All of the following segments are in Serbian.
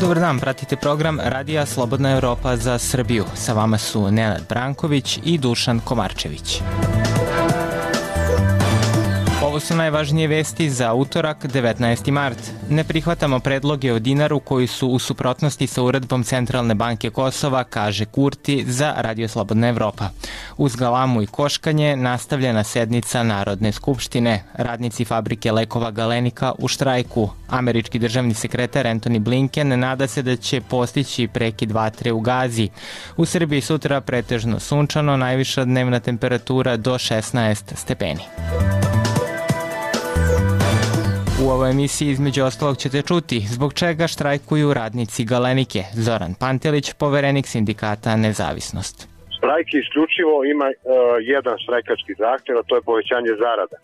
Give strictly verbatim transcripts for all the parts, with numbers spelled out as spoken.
Dobar dan, pratite program Radija Slobodna Evropa za Srbiju. Sa vama su Nenad Branković i Dušan Komarčević. Ovo su najvažnije vesti za utorak, devetnaesti mart. Ne prihvatamo predloge o dinaru koji su u suprotnosti sa uredbom Centralne banke Kosova, kaže Kurti za Radio Slobodna Evropa. Uz galamu i koškanje nastavljena sednica Narodne skupštine. Radnici fabrike lekova Galenika u štrajku. Američki državni sekretar Antony Blinken nada se da će postići prekid vatre u Gazi. U Srbiji sutra pretežno sunčano, najviša dnevna temperatura do šesnaest stepeni. U ovoj emisiji između ostalog ćete čuti zbog čega štrajkuju radnici Galenike. Zoran Pantelić, poverenik sindikata Nezavisnost. Štrajk isključivo ima uh, jedan štrajkački zahtjev, a to je povećanje zarada.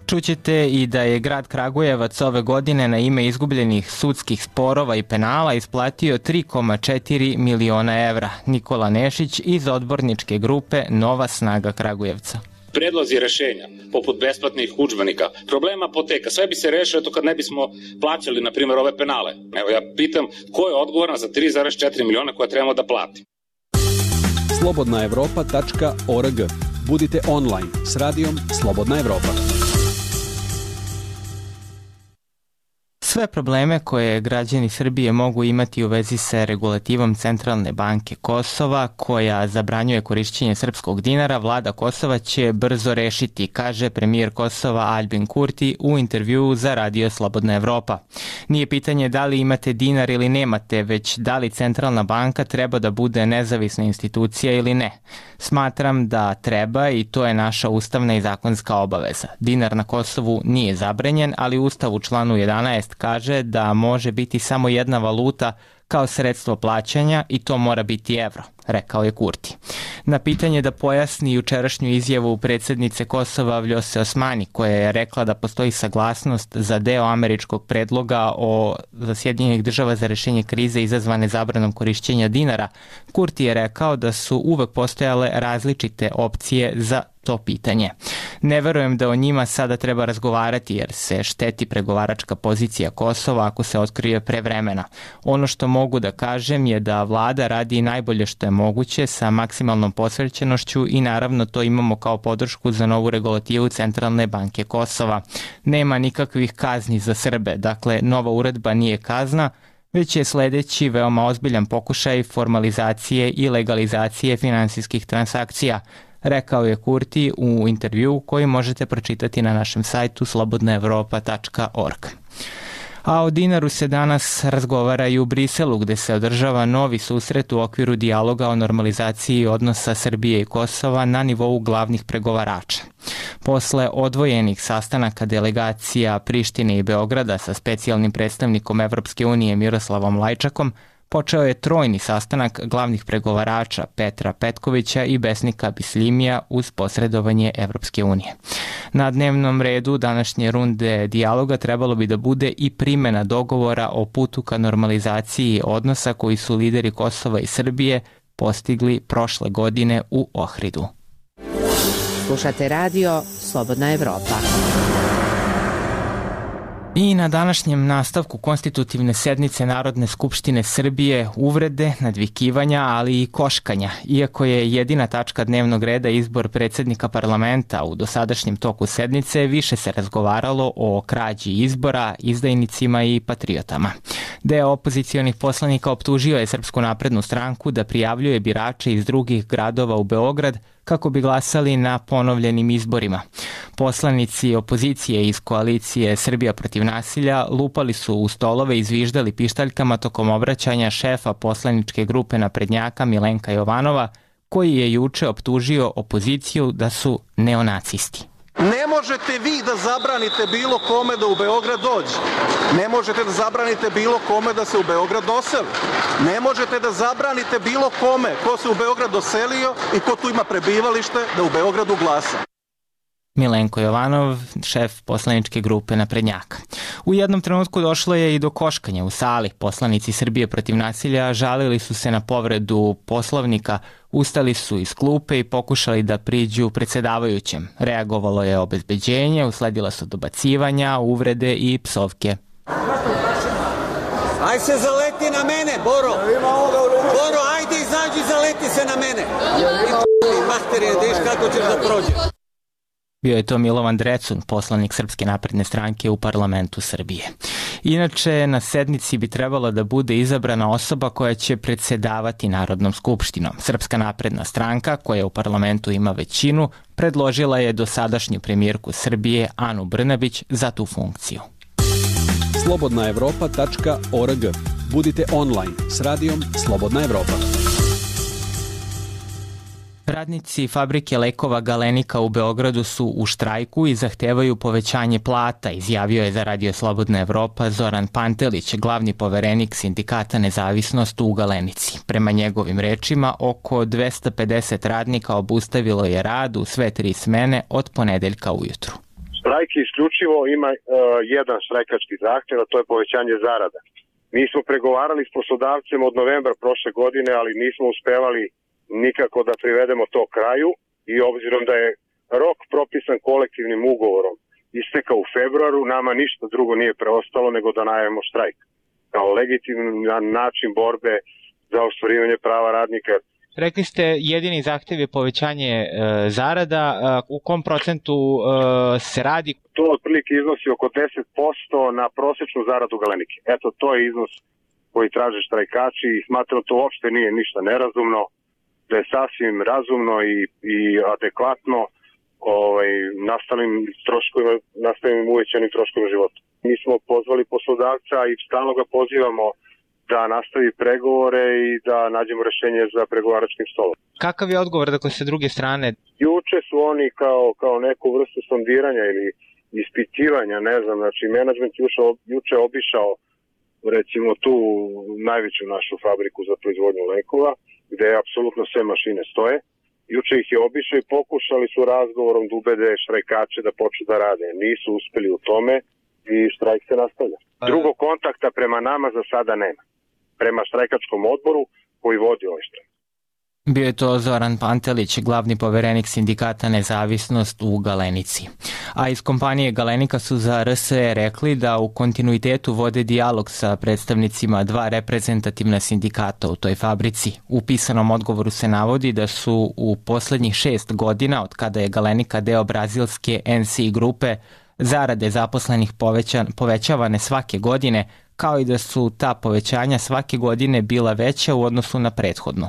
Čućete i da je grad Kragujevac ove godine na ime izgubljenih sudskih sporova i penala isplatio tri zarez četiri miliona evra. Nikola Nešić iz odborničke grupe Nova snaga Kragujevca. Predlozi rešenja, poput besplatnih udžbenika, problema apoteka, sve bi se rešilo to kad ne bismo plaćali, na primjer, ove penale. Evo, ja pitam ko je odgovoran za tri zarez četiri miliona koje trebamo da plati. slobodna evropa tačka org. Budite online s radijom Slobodna Evropa. Sve probleme koje građani Srbije mogu imati u vezi sa regulativom Centralne banke Kosova, koja zabranjuje korišćenje srpskog dinara, vlada Kosova će brzo rešiti, kaže premijer Kosova Aljbin Kurti u intervjuu za Radio Slobodna Evropa. Nije pitanje da li imate dinar ili nemate, već da li Centralna banka treba da bude nezavisna institucija ili ne. Smatram da treba i to je naša ustavna i zakonska obaveza. Dinar na Kosovu nije zabranjen, ali Ustav u članu jedanaest kaže da može biti samo jedna valuta kao sredstvo plaćanja i to mora biti evro, rekao je Kurti. Na pitanje da pojasni jučerašnju izjavu predsjednice Kosova Vljose Osmani, koja je rekla da postoji saglasnost za deo američkog predloga o Sjedinjenih država za rešenje krize izazvane zabranom korišćenja dinara, Kurti je rekao da su uvek postojale različite opcije za to pitanje. Ne verujem da o njima sada treba razgovarati jer se šteti pregovaračka pozicija Kosova ako se otkrije prevremena. Ono što mogu da kažem je da vlada radi najbolje što je moguće sa maksimalnom posvećenošću i naravno to imamo kao podršku za novu regulativu Centralne banke Kosova. Nema nikakvih kazni za Srbe, dakle nova uredba nije kazna, već je sledeći veoma ozbiljan pokušaj formalizacije i legalizacije finansijskih transakcija, rekao je Kurti u intervjuu koji možete pročitati na našem sajtu slobodna evropa tačka org. A o dinaru se danas razgovara i u Briselu, gde se održava novi susret u okviru dijaloga o normalizaciji odnosa Srbije i Kosova na nivou glavnih pregovarača. Posle odvojenih sastanaka delegacija Prištine i Beograda sa specijalnim predstavnikom Evropske unije Miroslavom Lajčakom, počeo je trojni sastanak glavnih pregovarača Petra Petkovića i Besnika Bisljimija uz posredovanje Evropske unije. Na dnevnom redu današnje runde dijaloga trebalo bi da bude i primjena dogovora o putu ka normalizaciji odnosa koji su lideri Kosova i Srbije postigli prošle godine u Ohridu. Slušate radio Slobodna Evropa. I na današnjem nastavku konstitutivne sednice Narodne skupštine Srbije uvrede, nadvikivanja, ali i koškanja. Iako je jedina tačka dnevnog reda izbor predsjednika parlamenta u dosadašnjem toku sednice, više se razgovaralo o krađi izbora, izdajnicima i patriotama. Deo opozicionih poslanika optužio je Srpsku naprednu stranku da prijavljuje birače iz drugih gradova u Beograd kako bi glasali na ponovljenim izborima. Poslanici opozicije iz koalicije Srbija protiv nasilja lupali su u stolove i zviždali pištaljkama tokom obraćanja šefa poslaničke grupe naprednjaka Milenka Jovanova, koji je juče optužio opoziciju da su neonacisti. Ne možete vi da zabranite bilo kome da u Beograd dođe. Ne možete da zabranite bilo kome da se u Beograd doseli. Ne možete da zabranite bilo kome ko se u Beograd doselio i ko tu ima prebivalište da u Beogradu glasa. Milenko Jovanov, šef poslaničke grupe naprednjaka. U jednom trenutku došlo je i do koškanja u sali. Poslanici Srbije protiv nasilja žalili su se na povredu Poslovnika, ustali su iz klupe i pokušali da priđu predsedavajućem. Reagovalo je obezbeđenje, usledila su dobacivanja, uvrede i psovke. Aj se zaleti zaleti na mene, Boro. Boro, ajde izađi, zaleti se na mene. I materije, deš kako ćeš da prođeš. Bio je to Milovan Drecun, poslanik Srpske napredne stranke u parlamentu Srbije. Inače, na sednici bi trebalo da bude izabrana osoba koja će predsedavati Narodnom skupštinom. Srpska napredna stranka, koja u parlamentu ima većinu, predložila je dosadašnju premijerku Srbije Anu Brnabić za tu funkciju. slobodna evropa tačka org. Budite online s radijom Slobodna Evropa. Radnici fabrike lekova Galenika u Beogradu su u štrajku i zahtevaju povećanje plata, izjavio je za Radio Slobodna Evropa Zoran Pantelić, glavni poverenik sindikata Nezavisnost u Galenici. Prema njegovim rečima, oko dvesta pedeset radnika obustavilo je rad u sve tri smene od ponedeljka ujutru. Štrajk isključivo ima uh, jedan štrajkački zahtev, a to je povećanje zarada. Mi smo pregovarali s poslodavcem od novembra prošle godine, ali nismo uspevali nikako da privedemo to kraju i obzirom da je rok propisan kolektivnim ugovorom istekao u februaru, nama ništa drugo nije preostalo nego da najavimo štrajk kao legitiman način borbe za ostvarivanje prava radnika. Rekli ste jedini zahtev je povećanje e, zarada. E, u kom procentu e, se radi? To otprilike iznosi oko deset posto na prosečnu zaradu Galenike. Eto, to je iznos koji traže štrajkači i smatram to uopšte nije ništa nerazumno, da je sasvim razumno i, i adekvatno ovaj, nastalim troškovima, nastalim uvećanim troškovima života. Mi smo pozvali poslodavca i stalno ga pozivamo da nastavi pregovore i da nađemo rešenje za pregovaračkim stolom. Kakav je odgovor, dakle, sa druge strane? Juče su oni kao, kao neku vrstu sondiranja ili ispitivanja, ne znam, znači menadžment juče, juče obišao recimo tu najveću našu fabriku za proizvodnju lekova, gde apsolutno sve mašine stoje. Juče ih je obišao i pokušali su razgovorom da ubede štrajkače da počnu da rade. Nisu uspeli u tome i štrajk se nastavlja. Drugog kontakta prema nama za sada nema. Prema štrajkačkom odboru koji vodi ovaj štrajk. Bio je to Zoran Pantelić, glavni poverenik sindikata Nezavisnost u Galenici. A iz kompanije Galenika su za R S E rekli da u kontinuitetu vode dijalog sa predstavnicima dva reprezentativna sindikata u toj fabrici. U pisanom odgovoru se navodi da su u poslednjih šest godina, od kada je Galenika deo brazilske N C grupe, zarade zaposlenih poveća, povećavane svake godine, kao i da su ta povećanja svake godine bila veća u odnosu na prethodnu.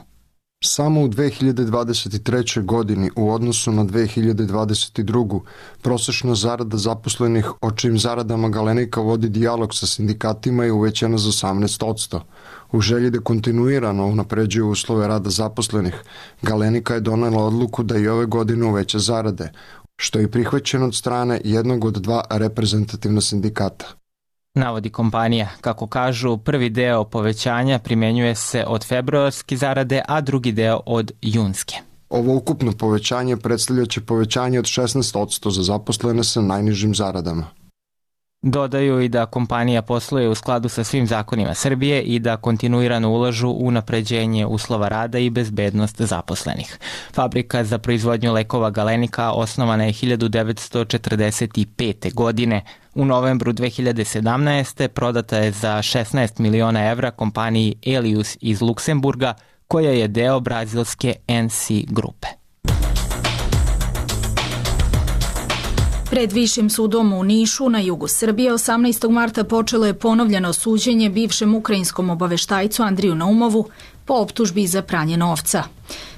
Samo u dve hiljade dvadeset trećoj. godini u odnosu na dve hiljade dvadeset drugu. prosečna zarada zaposlenih, o čijim zaradama Galenika vodi dijalog sa sindikatima, je uvećana za osamnaest posto. U želji da kontinuirano unapređuje uslove rada zaposlenih, Galenika je donela odluku da i ove godine uveća zarade, što je prihvaćeno od strane jednog od dva reprezentativna sindikata. Navodi kompanija. Kako kažu, prvi deo povećanja primenjuje se od februarske zarade, a drugi deo od junske. Ovo ukupno povećanje predstavljaće povećanje od šesnaest posto za zaposlene sa najnižim zaradama. Dodaju i da kompanija posluje u skladu sa svim zakonima Srbije i da kontinuirano ulažu u unapređenje uslova rada i bezbednost zaposlenih. Fabrika za proizvodnju lekova Galenika osnovana je hiljadu devetsto četrdeset pete. godine. U novembru dve hiljade sedamnaeste. prodata je za šesnaest miliona evra kompaniji Elius iz Luksemburga, koja je deo brazilske N C grupe. Pred Višim sudom u Nišu na jugu Srbije osamnaestog marta počelo je ponovljeno suđenje bivšem ukrajinskom obaveštajcu Andriju Naumovu po optužbi za pranje novca.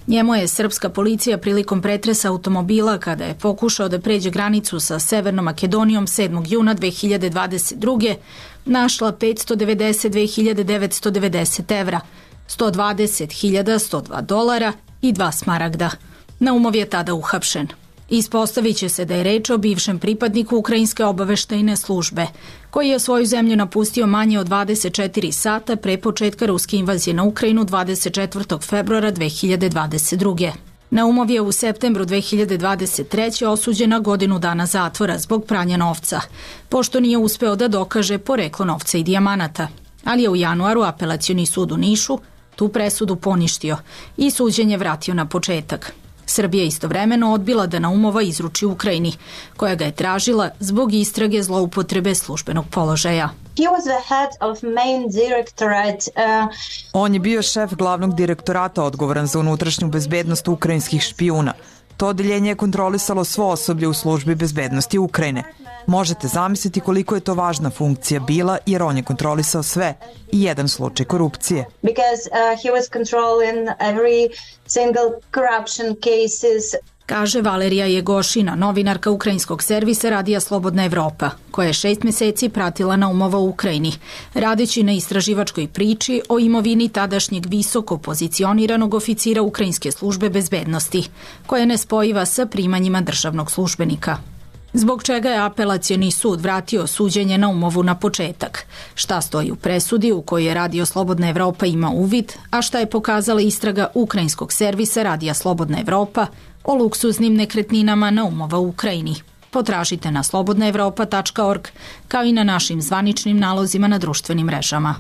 Njemu je srpska policija prilikom pretresa automobila kada je pokušao da pređe granicu sa Severnom Makedonijom sedmog juna dve hiljade dvadeset druge. našla petsto devedeset dve hiljade devetsto devedeset evra, sto dvadeset hiljada sto dva dolara i dva smaragda. Naumov je tada uhapšen. Ispostavit će se da je reč o bivšem pripadniku ukrajinske obaveštajne službe, koji je svoju zemlju napustio manje od dvadeset četiri sata pre početka ruske invazije na Ukrajinu dvadeset četvrtog februara dve hiljade dvadeset druge. Naumov je u septembru dve hiljade dvadeset treće. osuđen na godinu dana zatvora zbog pranja novca, pošto nije uspeo da dokaže poreklo novca i dijamanata. Ali je u januaru Apelacioni sud u Nišu tu presudu poništio i suđenje vratio na početak. Srbija istovremeno odbila da Naumova izruči Ukrajini, koja ga je tražila zbog istrage zloupotrebe službenog položaja. He was the head of main directorate. Uh... On je bio šef glavnog direktorata odgovoran za unutrašnju bezbednost ukrajinskih špijuna. To odeljenje je kontrolisalo svo osoblje u službi bezbednosti Ukrajine. Možete zamisliti koliko je to važna funkcija bila, jer on je kontrolisao sve i jedan slučaj korupcije. Because uh, he was controlling every single corruption cases. Kaže Valerija Jegošina, novinarka ukrajinskog servisa Radija Slobodna Evropa, koja je šest meseci pratila Naumova u Ukrajini, radeći na istraživačkoj priči o imovini tadašnjeg visoko pozicioniranog oficira ukrajinske službe bezbednosti, koja je nespojiva sa primanjima državnog službenika. Zbog čega je apelacioni sud vratio suđenje Naumovu na početak? Šta stoji u presudi u kojoj je Radio Slobodna Evropa ima uvid, a šta je pokazala istraga ukrajinskog servisa Radija Slobodna Evropa o luksuznim nekretninama Naumova u Ukrajini? Potražite na slobodna evropa tačka org kao i na našim zvaničnim nalozima na društvenim mrežama.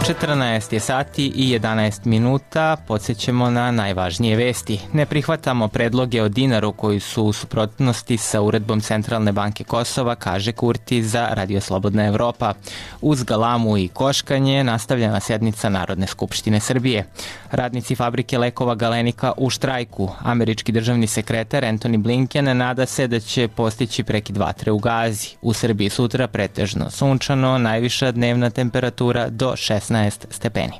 četrnaest je sati i jedanaest minuta, podsjećamo na najvažnije vesti. Ne prihvatamo predloge o dinaru koji su u suprotnosti sa uredbom Centralne banke Kosova, kaže Kurti za Radio Slobodna Evropa. Uz galamu i koškanje nastavljena sjednica Narodne skupštine Srbije. Radnici fabrike lekova Galenika u štrajku. Američki državni sekretar Antony Blinken nada se da će postići prekid vatre u Gazi. U Srbiji sutra pretežno sunčano, najviša dnevna temperatura do šesnaest stepeni.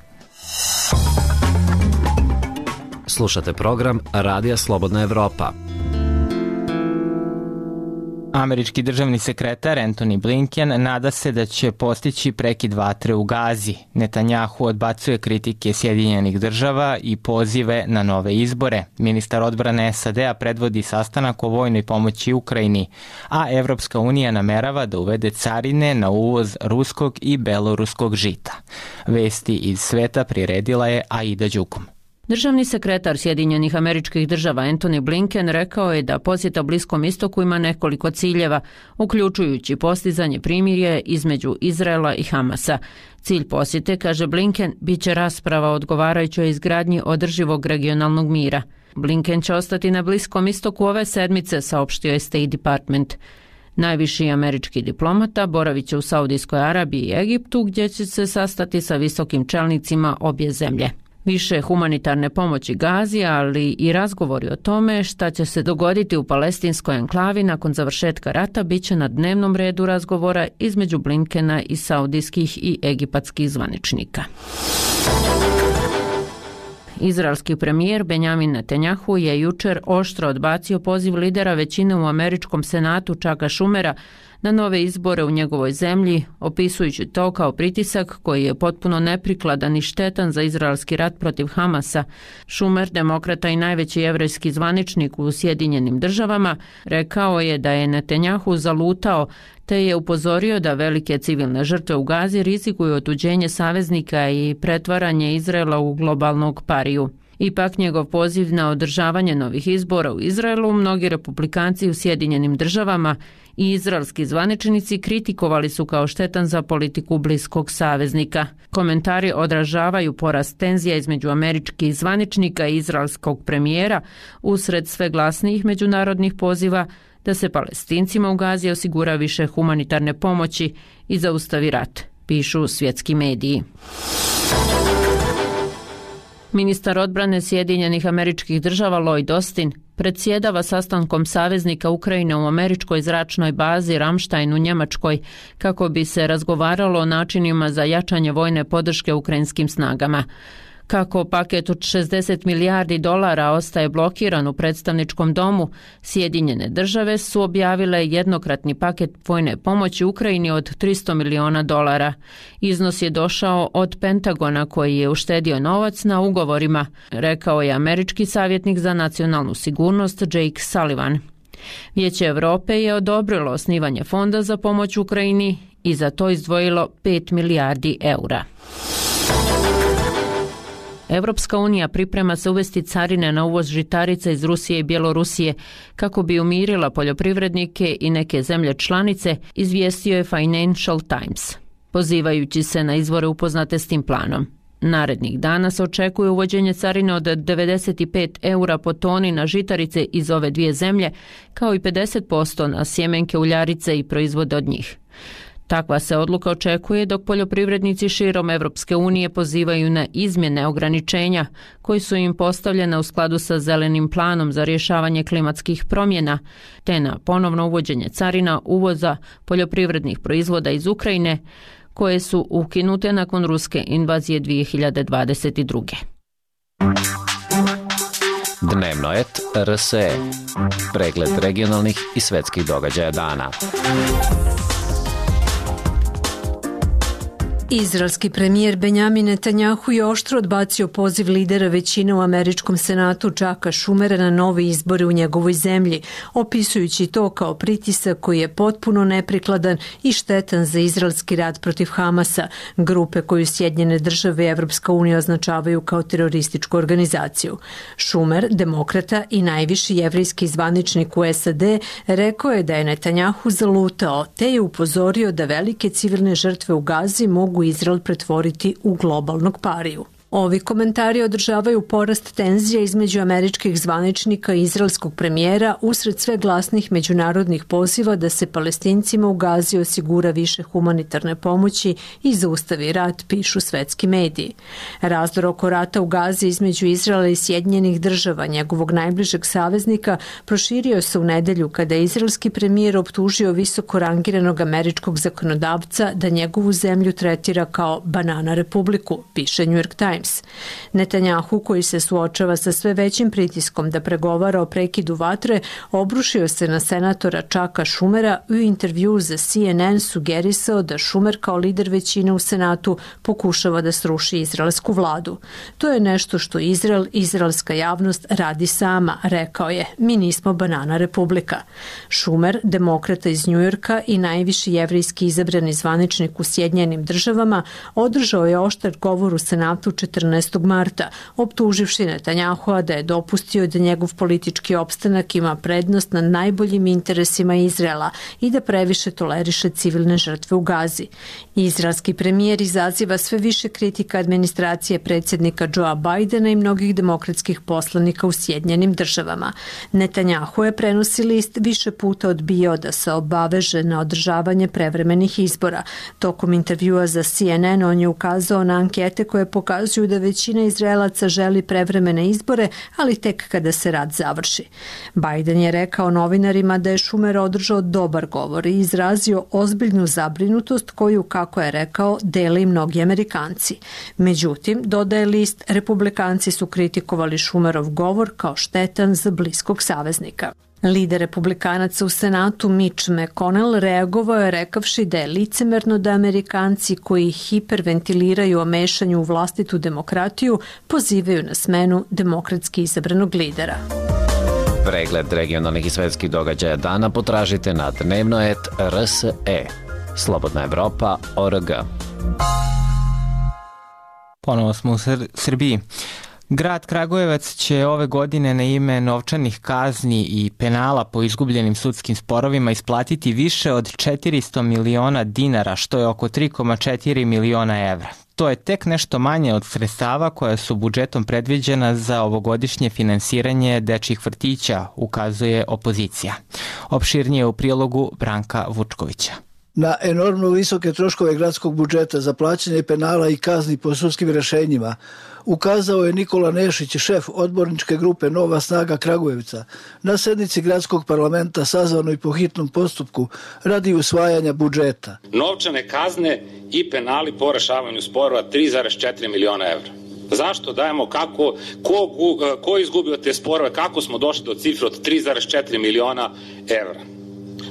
Slušate program Radija Slobodna Evropa. Američki državni sekretar Antony Blinken nada se da će postići prekid vatre u Gazi. Netanjahu odbacuje kritike Sjedinjenih država i pozive na nove izbore. Ministar odbrane S A D-a predvodi sastanak o vojnoj pomoći Ukrajini, a Evropska unija namerava da uvede carine na uvoz ruskog i beloruskog žita. Vesti iz sveta priredila je Aida Đukum. Državni sekretar Sjedinjenih Američkih Država Antony Blinken rekao je da posjeta Bliskom istoku ima nekoliko ciljeva, uključujući postizanje primirja između Izraela i Hamasa. Cilj posjete, kaže Blinken, bit će rasprava o odgovarajućoj izgradnji održivog regionalnog mira. Blinken će ostati na Bliskom istoku ove sedmice, saopštio je State Department. Najviši američki diplomata boravit će u Saudijskoj Arabiji i Egiptu, gdje će se sastati sa visokim čelnicima obje zemlje. Više humanitarne pomoći Gazi, ali i razgovori o tome šta će se dogoditi u palestinskoj enklavi nakon završetka rata bit će na dnevnom redu razgovora između Blinkena i saudijskih i egipatskih zvaničnika. Izraelski premijer Benjamin Netanjahu je jučer oštro odbacio poziv lidera većine u američkom senatu Chucka Schumera na nove izbore u njegovoj zemlji, opisujući to kao pritisak koji je potpuno neprikladan i štetan za izraelski rat protiv Hamasa. Schumer, demokrata i najveći jevrejski zvaničnik u Sjedinjenim državama, rekao je da je Netanjahu zalutao, te je upozorio da velike civilne žrtve u Gazi rizikuju otuđenje saveznika i pretvaranje Izraela u globalnog pariju. Ipak njegov poziv na održavanje novih izbora u Izraelu mnogi republikanci u Sjedinjenim državama i izraelski zvaničnici kritikovali su kao štetan za politiku bliskog saveznika. Komentari odražavaju porast tenzija između američkih zvaničnika i izraelskog premijera usred sve glasnijih međunarodnih poziva da se Palestincima u Gazi osigura više humanitarne pomoći i zaustavi rat, pišu svjetski mediji. Ministar odbrane Sjedinjenih Američkih Država Lloyd Austin predsjedava sastankom saveznika Ukrajine u američkoj zračnoj bazi Ramstein u Njemačkoj kako bi se razgovaralo o načinima za jačanje vojne podrške ukrajinskim snagama. Kako paket od šezdeset milijardi dolara ostaje blokiran u predstavničkom domu, Sjedinjene države su objavile jednokratni paket vojne pomoći Ukrajini od tristo miliona dolara. Iznos je došao od Pentagona koji je uštedio novac na ugovorima, rekao je američki savjetnik za nacionalnu sigurnost Jake Sullivan. Vijeće Evrope je odobrilo osnivanje fonda za pomoć Ukrajini i za to izdvojilo pet milijardi eura. Evropska unija priprema se uvesti carine na uvoz žitarica iz Rusije i Bjelorusije kako bi umirila poljoprivrednike i neke zemlje članice, izvijestio je Financial Times, pozivajući se na izvore upoznate s tim planom. Narednih dana se očekuje uvođenje carine od devedeset pet eura po toni na žitarice iz ove dvije zemlje, kao i pedeset posto na sjemenke, uljarice i proizvode od njih. Takva se odluka očekuje dok poljoprivrednici širom Evropske unije pozivaju na izmjene ograničenja koji su im postavljene u skladu sa zelenim planom za rješavanje klimatskih promjena, te na ponovno uvođenje carina uvoza poljoprivrednih proizvoda iz Ukrajine, koje su ukinute nakon ruske invazije dvije hiljade dvadeset druge. Dnevno et R S E. Pregled regionalnih i svetskih događaja dana. Izraelski premijer Benjamin Netanjahu je oštro odbacio poziv lidera većine u američkom senatu Chucka Schumera na nove izbore u njegovoj zemlji, opisujući to kao pritisak koji je potpuno neprikladan i štetan za izraelski rat protiv Hamasa, grupe koju Sjedinjene države i Evropska unija označavaju kao terorističku organizaciju. Schumer, demokrata i najviši jevrejski zvaničnik u S A D, rekao je da je Netanjahu zalutao, te je upozorio da velike civilne žrtve u Gazi mogu Izrael pretvoriti u globalnog pariju. Ovi komentari održavaju porast tenzija između američkih zvaničnika i izraelskog premijera usred sve glasnih međunarodnih poziva da se Palestincima u Gazi osigura više humanitarne pomoći i zaustavi rat, pišu svetski mediji. Razdor oko rata u Gazi između Izraela i Sjedinjenih država, njegovog najbližeg saveznika, proširio se u nedelju kada je izraelski premijer optužio visoko rangiranog američkog zakonodavca da njegovu zemlju tretira kao banana republiku, piše New York Times. Netanjahu, koji se suočava sa sve većim pritiskom da pregovara o prekidu vatre, obrušio se na senatora Chucka Schumera i u intervju za C N N sugerisao da Schumer kao lider većine u senatu pokušava da sruši izraelsku vladu. To je nešto što Izrael, izraelska javnost radi sama, rekao je. Mi nismo banana republika. Schumer, demokrata iz Njujorka i najviši jevrejski izabrani zvaničnik u Sjedinjenim državama, održao je oštar govor u senatu četrnaestog marta, optuživši Netanjahua da je dopustio da njegov politički opstanak ima prednost nad najboljim interesima Izraela i da previše toleriše civilne žrtve u Gazi. Izraelski premijer izaziva sve više kritika administracije predsjednika Joea Bidena i mnogih demokratskih poslanika u Sjedinjenim državama. Netanjahu je, prenosi list, više puta odbijao da se obaveže na održavanje prevremenih izbora. Tokom intervjua za C N N on je ukazao na ankete koje pokazuju da većina Izraelaca želi prevremene izbore, ali tek kada se rat završi. Biden je rekao novinarima da je Schumer održao dobar govor i izrazio ozbiljnu zabrinutost koju, kako je rekao, dele i mnogi Amerikanci. Međutim, dodaje list, republikanci su kritikovali Schumerov govor kao štetan za bliskog saveznika. Lider republikanaca u senatu Mitch McConnell reagovao je rekavši da je licemerno da Amerikanci koji hiperventiliraju o mešanju u vlastitu demokratiju pozivaju na smenu demokratski izabranog lidera. Pregled regionalnih i svetskih događaja dana potražite na dnevno et R S E. Slobodna Evropa, O R G. Ponovo smo u Sr- Srbiji. Grad Kragujevac će ove godine na ime novčanih kazni i penala po izgubljenim sudskim sporovima isplatiti više od četiristo miliona dinara, što je oko tri zarez četiri miliona evra. To je tek nešto manje od sredstava koja su budžetom predviđena za ovogodišnje finansiranje dečjih vrtića, ukazuje opozicija. Opširnije u prilogu Branka Vučkovića. Na enormno visoke troškove gradskog budžeta za plaćanje penala i kazni po sudskim rešenjima ukazao je Nikola Nešić, šef odborničke grupe Nova snaga Kragujevca, na sednici gradskog parlamenta sazvanoj po hitnom postupku radi usvajanja budžeta. Novčane kazne i penali po rešavanju sporova tri zarez četiri miliona evra. Zašto dajemo, kako, ko, ko je izgubio te sporove, kako smo došli do cifre od tri zarez četiri miliona evra?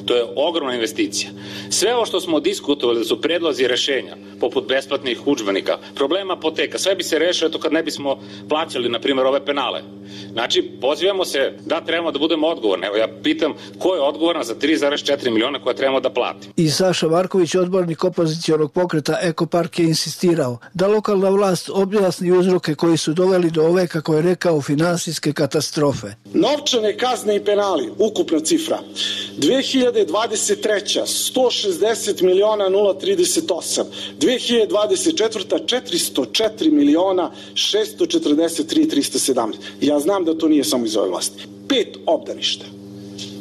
To je ogromna investicija. Sve ovo što smo diskutovali da su predlozi rešenja, poput besplatnih udžbenika, problema apoteka, sve bi se rešilo to kad ne bismo plaćali, na primjer, ove penale. Znači, pozivamo se da trebamo da budemo odgovorni. Evo, ja pitam ko je odgovoran za tri zarez četiri miliona koje trebamo da platimo. I Saša Marković, odbornik opozicionog pokreta Ekopark, je insistirao da lokalna vlast objasni uzroke koji su doveli do ove, kako je rekao, finansijske katastrofe. Novčane kazne i penali, ukupna cifra, dve hiljade hiljade dvadeset treća sto šezdeset miliona nula trideset osam, dve hiljade dvadeset četvrta četiristo četiri miliona šesto četrdeset tri trista sedamnaest. Ja znam da to nije samo iz ove vlasti. Pet obdaništa.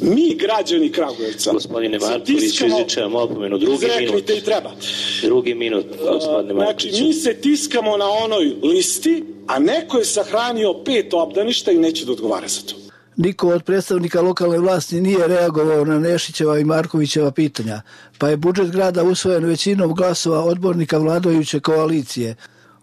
Mi, građani Kragujevca, gospodine Marković, izričem opomenu, drugi minut. I treba. Drugi minut, gospodine Marković. Znači, mi se tiskamo na onoj listi, a neko je sahranio pet obdaništa i neće da odgovara za to. Niko od predstavnika lokalne vlasti nije reagovao na Nešićeva i Markovićeva pitanja, pa je budžet grada usvojen većinom glasova odbornika vladajuće koalicije.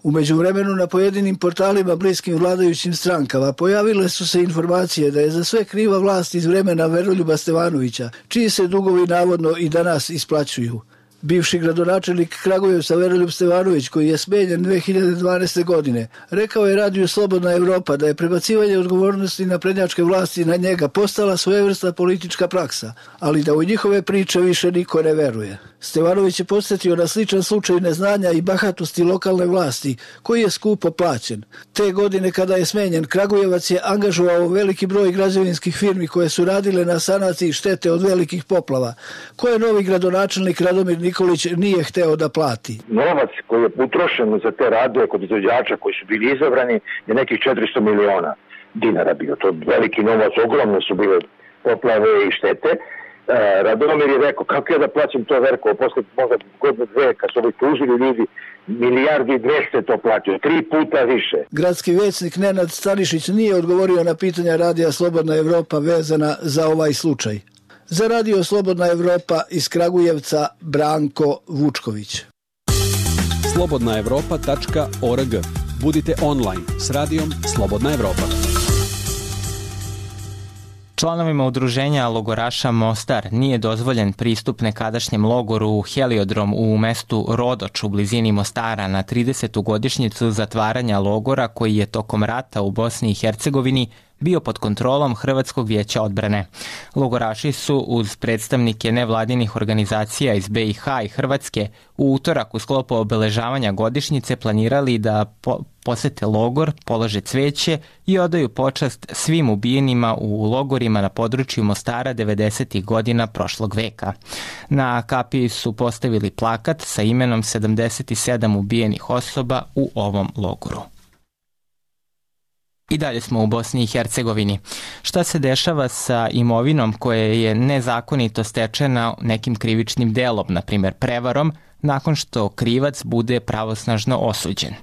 U međuvremenu na pojedinim portalima bliskim vladajućim strankama pojavile su se informacije da je za sve kriva vlast iz vremena Veroljuba Stevanovića, čiji se dugovi navodno i danas isplaćuju. Bivši gradonačelnik Kragujevca Veroljub Stevanović, koji je smenjen dve hiljade dvanaeste. godine, rekao je radiju Slobodna Evropa da je prebacivanje odgovornosti naprednjačke vlasti na njega postala svojevrsna politička praksa, ali da u njihove priče više niko ne veruje. Stevanović je podsjetio na sličan slučaj neznanja i bahatosti lokalne vlasti, koji je skupo plaćen. Te godine kada je smenjen, Kragujevac je angažovao veliki broj građevinskih firmi koje su radile na sanaciji štete od velikih poplava, koje novi gradonačelnik Radomir Nikolić nije hteo da plati. Novac koji je utrošen za te radove kod izvođača koji su bili izabrani je nekih četiristo miliona dinara bio. To veliki novac, ogromno su bile poplave i štete. Radomir je rekao, kako ja da plaćam to, Verko, posle možda godinu dve, kad su ovi tužili ljudi, milijardi i dvesta to platio, tri puta više. Gradski većnik Nenad Stanišić nije odgovorio na pitanja radija Slobodna Evropa vezana za ovaj slučaj. Za radio Slobodna Evropa iz Kragujevca, Branko Vučković. slobodna evropa tačka org. Budite online s radijom Slobodna Evropa. Članovima udruženja logoraša Mostar nije dozvoljen pristup nekadašnjem logoru Heliodrom u mestu Rodoč u blizini Mostara na tridesetu godišnjicu zatvaranja logora koji je tokom rata u Bosni i Hercegovini bio pod kontrolom Hrvatskog vijeća odbrane. Logoraši su uz predstavnike nevladinih organizacija iz be i ha i Hrvatske u utorak u sklopu obeležavanja godišnjice planirali da po posete logor, polože cveće i odaju počast svim ubijenima u logorima na području Mostara devedesetih godina prošlog veka. Na kapiji su postavili plakat sa imenom sedamdeset sedam ubijenih osoba u ovom logoru. I dalje smo u Bosni i Hercegovini. Šta se dešava sa imovinom koja je nezakonito stečena nekim krivičnim delom, na primjer prevarom, nakon što krivac bude pravosnažno osuđen?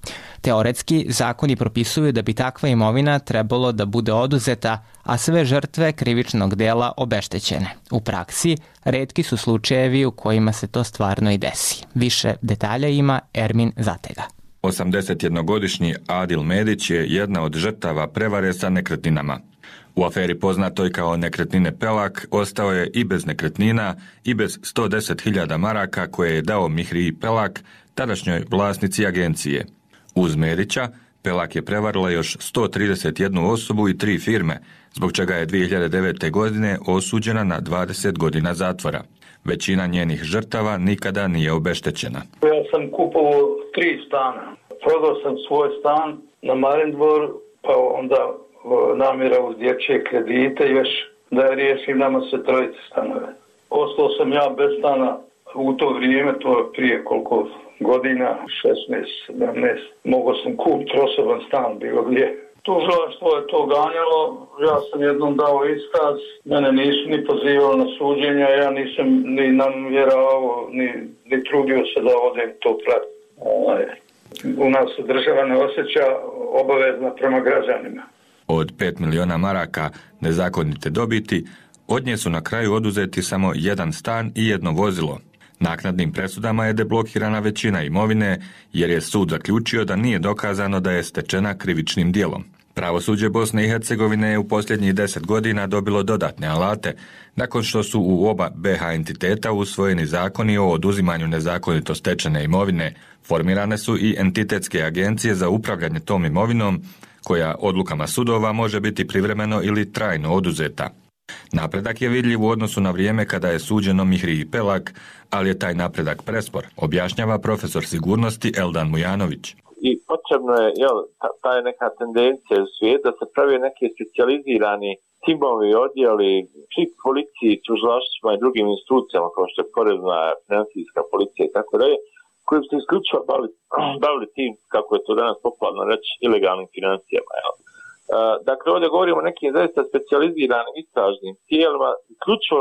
Teoretski, zakoni propisuju da bi takva imovina trebalo da bude oduzeta, a sve žrtve krivičnog dela obeštećene. U praksi, retki su slučajevi u kojima se to stvarno i desi. Više detalja ima Ermin Zatega. osamdesetjednogodišnji Adil Medić je jedna od žrtava prevare sa nekretninama. U aferi poznatoj kao nekretnine Pelak ostao je i bez nekretnina i bez sto deset hiljada maraka koje je dao Mihriji Pelak, tadašnjoj vlasnici agencije. Uz Medića, Pelak je prevarila još sto trideset jednu osobu i tri firme, zbog čega je dvije hiljade devete. godine osuđena na dvadeset godina zatvora. Većina njenih žrtava nikada nije obeštećena. Ja sam kupovao tri stana. Prodao sam svoj stan na Marindvor, pa onda namjera uz dječje kredite još da je riješim nama se trojice stanove. Ostao sam ja bez stana u to vrijeme, to je prije koliko godina, šesnaest sedamnaest. Mogao sam kupiti osoban stan bilo gdje. Tužilaštvo je to ganjalo, ja sam jednom dao iskaz, mene nisu ni pozivali na suđenja, ja nisam ni namjeravao, ni, ni trudio se da odem to pratiti. U nas se država ne osjeća obavezna prema građanima. Od pet miliona maraka nezakonite dobiti, od nje su na kraju oduzeti samo jedan stan i jedno vozilo. Naknadnim presudama je deblokirana većina imovine jer je sud zaključio da nije dokazano da je stečena krivičnim djelom. Pravosuđe Bosne i Hercegovine je u posljednjih deset godina dobilo dodatne alate, nakon što su u oba be ha entiteta usvojeni zakoni o oduzimanju nezakonito stečene imovine. Formirane su i entitetske agencije za upravljanje tom imovinom, koja odlukama sudova može biti privremeno ili trajno oduzeta. Napredak je vidljiv u odnosu na vrijeme kada je suđeno Mihriji Pelak, ali je taj napredak prespor, objašnjava profesor sigurnosti Eldan Mujanović. I potrebno je, jel, ta, ta je neka tendencija u svijetu da se pravi neki specijalizirani timovi, odjeli, svi policiji, tužilaštvima i drugim institucijama kao što je porezna, financijska policija i tako dalje, koji se isključivo bavili, bavili tim, kako je to danas popularno reći, ilegalnim financijama. Jel? Uh, dakle, ovdje govorimo o nekim zaista specijaliziranim istražnim tijelima, isključivo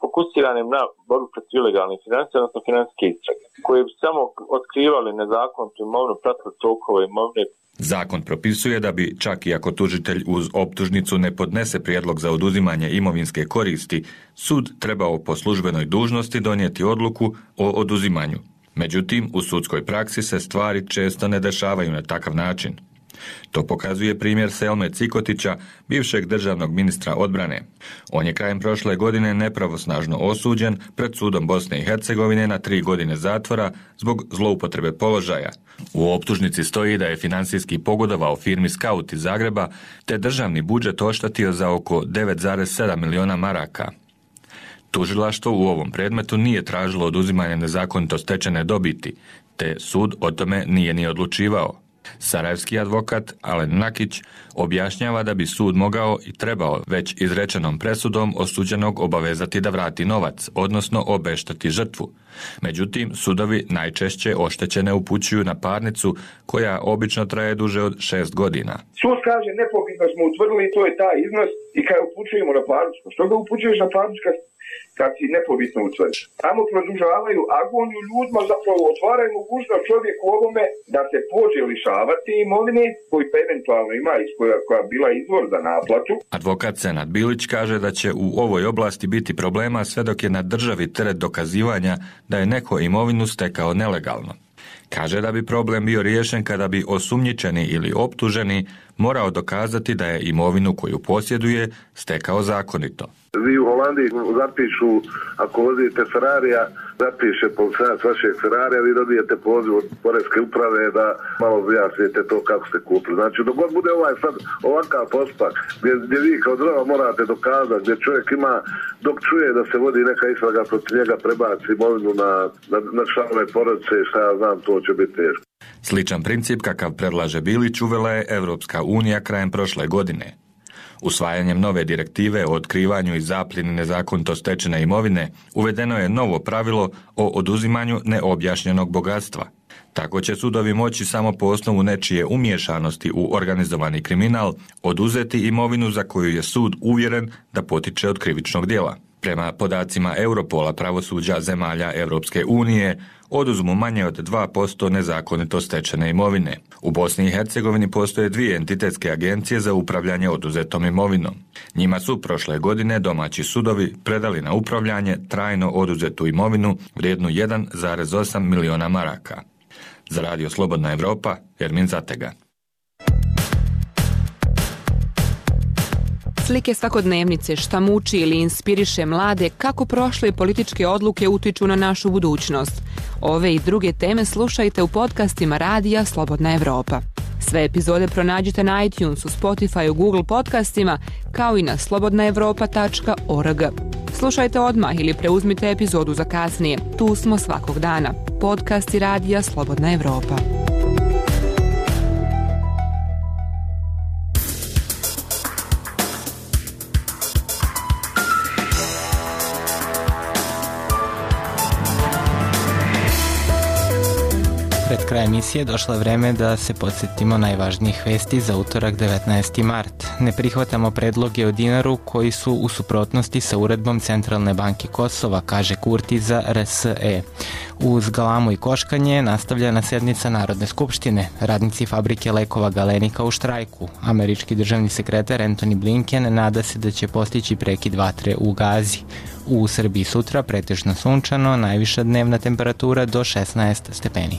fokusiranim na borbu protiv ilegalnih financija, odnosno financijske istrage, koje bi samo otkrivali nezakonitu imovinu, pratili tokove imovine. Zakon propisuje da bi, čak i ako tužitelj uz optužnicu ne podnese prijedlog za oduzimanje imovinske koristi, sud trebao po službenoj dužnosti donijeti odluku o oduzimanju. Međutim, u sudskoj praksi se stvari često ne dešavaju na takav način. To pokazuje primjer Selme Cikotića, bivšeg državnog ministra odbrane. On je krajem prošle godine nepravosnažno osuđen pred sudom Bosne i Hercegovine na tri godine zatvora zbog zloupotrebe položaja. U optužnici stoji da je financijski pogodovao firmi Scout iz Zagreba, te državni budžet oštetio za oko devet zarez sedam miliona maraka. Tužilaštvo u ovom predmetu nije tražilo oduzimanje nezakonito stečene dobiti, te sud o tome nije ni odlučivao. Sarajevski advokat Alen Nakić objašnjava da bi sud mogao i trebao već izrečenom presudom osuđenog obavezati da vrati novac, odnosno obešteti žrtvu. Međutim, sudovi najčešće oštećene upućuju na parnicu koja obično traje duže od šest godina. Sud kaže nepobitno smo utvrdili, to je taj iznos i kad upućujemo na parnicu, što ga upućuješ na parnicu kad kad si nepobitno utvrdiš. Tamo produžavaju agoniju ljudima, zapravo otvaraju mogućnost čovjeku ovome da se pođe lišavati imovine koji pa eventualno ima iz koja, koja bila izvor za naplatu. Advokat Senad Bilić kaže da će u ovoj oblasti biti problema sve dok je na državi teret dokazivanja da je neko imovinu stekao nelegalno. Kaže da bi problem bio riješen kada bi osumnjičeni ili optuženi morao dokazati da je imovinu koju posjeduje stekao zakonito. Vi u Holandiji zapišu, ako vozite Ferrarija, zapiše policajac vašeg Ferrarija, vi dobijete poziv od poreske uprave da malo objasnite to kako ste kupili. Znači, dok god bude ovaj sad ovakav postupak, gdje, gdje vi kao država morate dokazati, gdje čovjek ima, dok čuje da se vodi neka istraga protiv njega, prebaci imovinu na, na, na članove porodice, šta ja znam, to će biti teško. Sličan princip kakav predlaže Bilić uvela je Evropska unija krajem prošle godine. Usvajanjem nove direktive o otkrivanju i zapljeni nezakonito stečene imovine uvedeno je novo pravilo o oduzimanju neobjašnjenog bogatstva. Tako će sudovi moći samo po osnovu nečije umiješanosti u organizovani kriminal oduzeti imovinu za koju je sud uvjeren da potiče od krivičnog djela. Prema podacima Europola pravosuđa zemalja Europske unije oduzmu manje od dva posto nezakonito stečene imovine. U Bosni i Hercegovini postoje dvije entitetske agencije za upravljanje oduzetom imovinom. Njima su prošle godine domaći sudovi predali na upravljanje trajno oduzetu imovinu vrijednu jedan zarez osam miliona maraka. Za Radio Slobodna Evropa, Ermin Zatega. Slike svakodnevnice šta muči ili inspiriše mlade kako prošle političke odluke utiču na našu budućnost. Ove i druge teme slušajte u podcastima Radija Slobodna Evropa. Sve epizode pronađite na iTunesu, Spotifyu, Google podcastima, kao i na slobodna evropa tačka org. Slušajte odmah ili preuzmite epizodu za kasnije. Tu smo svakog dana. Podcasti Radija Slobodna Evropa. Pred kraj emisije došlo je vreme da se podsjetimo najvažnijih vesti za utorak devetnaesti mart. Ne prihvatamo predloge o dinaru koji su u suprotnosti sa uredbom Centralne banke Kosova, kaže Kurti za R S E. Uz galamu i koškanje nastavljena sednica Narodne skupštine. Radnici fabrike lekova Galenika u štrajku. Američki državni sekretar Antony Blinken nada se da će postići prekid vatre u Gazi. U Srbiji sutra pretežno sunčano, najviša dnevna temperatura do šesnaest stepeni.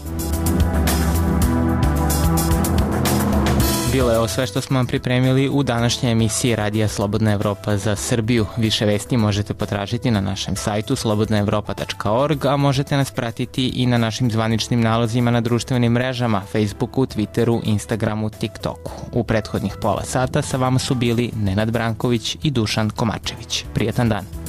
Bilo je ovo sve što smo vam pripremili u današnjoj emisiji Radija Slobodna Evropa za Srbiju. Više vesti možete potražiti na našem sajtu slobodna evropa tačka org, a možete nas pratiti i na našim zvaničnim nalozima na društvenim mrežama, Facebooku, Twitteru, Instagramu, TikToku. U prethodnih pola sata sa vama su bili Nenad Branković i Dušan Komačević. Prijetan dan!